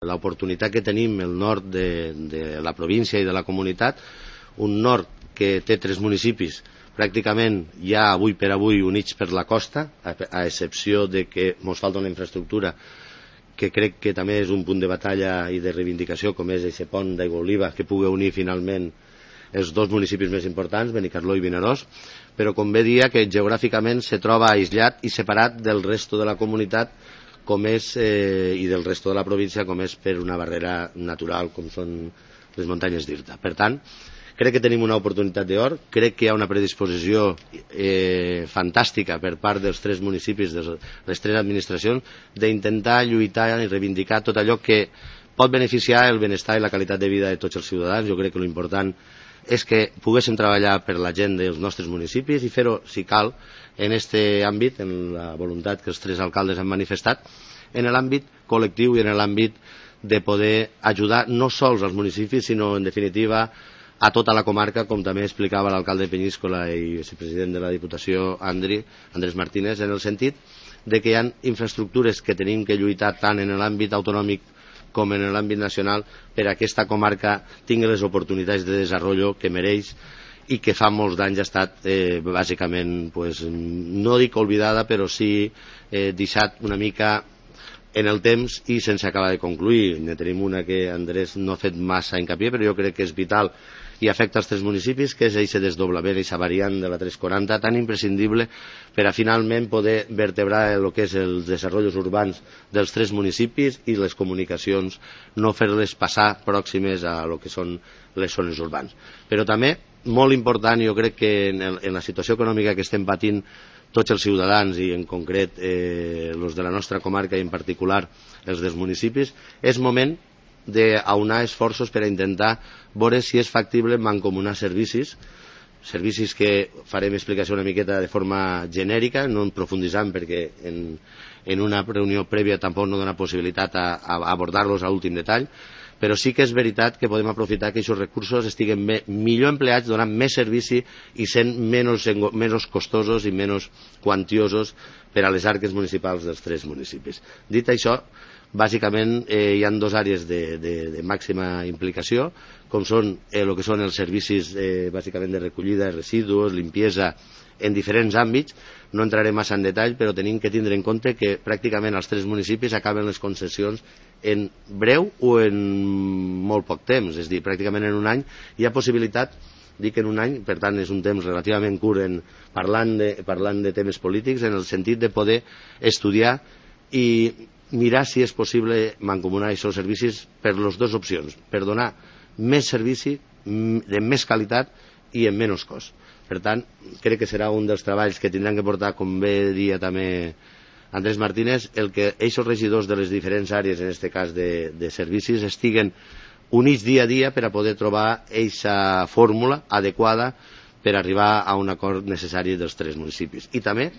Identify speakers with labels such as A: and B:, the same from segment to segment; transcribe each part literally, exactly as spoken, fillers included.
A: l'oportunitat que tenim el nord de, de la província i de la comunitat, un nord que té tres municipis pràcticament ja avui per avui units per la costa, a, a excepció de que ens falta una infraestructura que crec que també és un punt de batalla i de reivindicació, com és aquest pont d'Aigua Oliva, que pugui unir finalment els dos municipis més importants, Benicarló i Vinaròs, però com bé dia que geogràficament se troba aïllat i separat del resto de la comunitat com és, eh, i del resto de la província, com és per una barrera natural com són les muntanyes d'Irta. Per tant, crec que tenim una oportunitat d'or, crec que hi ha una predisposició eh, fantàstica per part dels tres municipis, de les tres administracions, d'intentar lluitar i reivindicar tot allò que pot beneficiar el benestar i la qualitat de vida de tots els ciutadans. Jo crec que l'important és que poguéssim treballar per la gent dels nostres municipis i fer-ho, si cal, en aquest àmbit, en la voluntat que els tres alcaldes han manifestat, en l'àmbit col·lectiu i en l'àmbit de poder ajudar no sols als municipis, sinó, en definitiva, a tota la comarca, com també explicava l'alcalde de Penyíscola i vicepresident de la Diputació, Andri, Andrés Martínez, en el sentit de que hi ha infraestructures que tenim que lluitar tant en l'àmbit autonòmic com en l'àmbit nacional per a aquesta comarca tingui les oportunitats de desenvolupament que mereix i que fa molts d'anys ha estat eh, bàsicament, pues, no dic oblidada, però sí eh, deixat una mica en el temps i sense acabar de concluir. Ne tenim una que Andrés no ha fet massa hincapié, però jo crec que és vital i afecta els tres municipis, que és aquest desdoblament, aquesta variant de la tres quaranta, tan imprescindible per a finalment poder vertebrar el que és els desenvolupaments urbans dels tres municipis i les comunicacions, no fer-les passar pròximes a lo que són les zones urbanes. Però també, molt important, jo crec que en, el, en la situació econòmica que estem patint tots els ciutadans i en concret eh, els de la nostra comarca i en particular els dels municipis, és moment d'aunar esforços per a intentar veure si és factible mancomunar servicis, servicis que farem explicació una miqueta de forma genèrica, no en profunditzant perquè en, en una reunió prèvia tampoc no dona possibilitat a, a abordar-los a últim detall, però sí que és veritat que podem aprofitar que aquests recursos estiguen bé, millor empleats, donant més servici i sent menys, menys costosos i menys quantiosos per a les arques municipals dels tres municipis. Dit això, bàsicament eh, hi ha dues àrees de, de, de màxima implicació, com són eh, el que són els servicis eh, bàsicament de recollida de residus, limpiesa, en diferents àmbits. No entraré massa en detall, però tenim que tindre en compte que pràcticament els tres municipis acaben les concessions en breu o en molt poc temps, és a dir, pràcticament en un any hi ha possibilitat, dic en un any, per tant és un temps relativament curt en, parlant, de, parlant de temes polítics, en el sentit de poder estudiar i mirar si és possible mancomunar aquests servicis per les dues opcions, per donar més servici, de més qualitat i en menys cost. Per tant, crec que serà un dels treballs que tindran que portar, com bé dia també Andrés Martínez, el que aquests regidors de les diferents àrees, en aquest cas de, de servicis, estiguen units dia a dia per a poder trobar aquesta fórmula adequada per arribar a un acord necessari dels tres municipis. I també,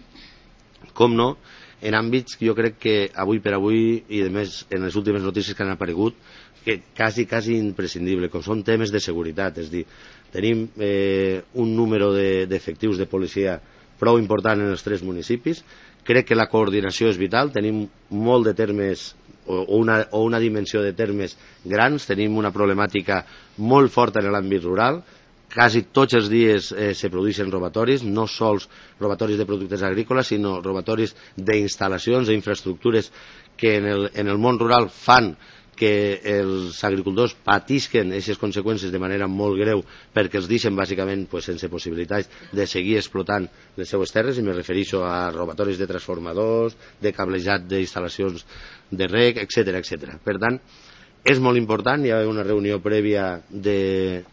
A: com no, en àmbits que jo crec que avui per avui, i a més en les últimes notícies que han aparegut, que quasi, quasi imprescindible, com són temes de seguretat, és a dir, tenim eh, un número d'efectius de, de policia prou important en els tres municipis, crec que la coordinació és vital, tenim molt de termes o una, o una dimensió de termes grans, tenim una problemàtica molt forta en l'àmbit rural, quasi tots els dies eh, se produeixen robatoris, no sols robatoris de productes agrícoles, sinó robatoris d'instal·lacions, d'infraestructures que en el, en el món rural fan que els agricultors patisquen aquestes conseqüències de manera molt greu perquè els deixen bàsicament pues, sense possibilitats de seguir explotant les seues terres, i me refereixo a robatoris de transformadors, de cablejat d'instal·lacions de reg, etcètera, etcètera. Per tant, és molt important, hi ha una reunió prèvia de,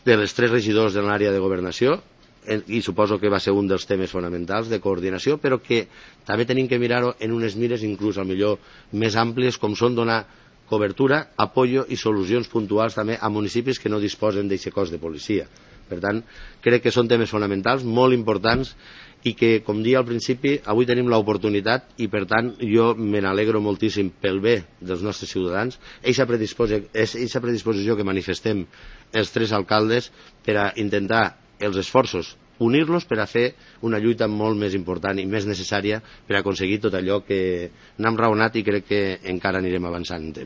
A: de les tres regidors de l'àrea de governació, i suposo que va ser un dels temes fonamentals de coordinació, però que també tenim que mirar-ho en unes mires inclús al millor més àmplies, com són donar cobertura, apoyo i solucions puntuals també a municipis que no disposen d'aquest cos de policia. Per tant, crec que són temes fonamentals, molt importants, i que, com dia al principi, avui tenim l'oportunitat i, per tant, jo me n'alegro moltíssim pel bé dels nostres ciutadans, aquesta predisposició, predisposició que manifestem els tres alcaldes per a intentar els esforços, unir-los per a fer una lluita molt més important i més necessària per a aconseguir tot allò que n'hem raonat i crec que encara anirem avançant en temes.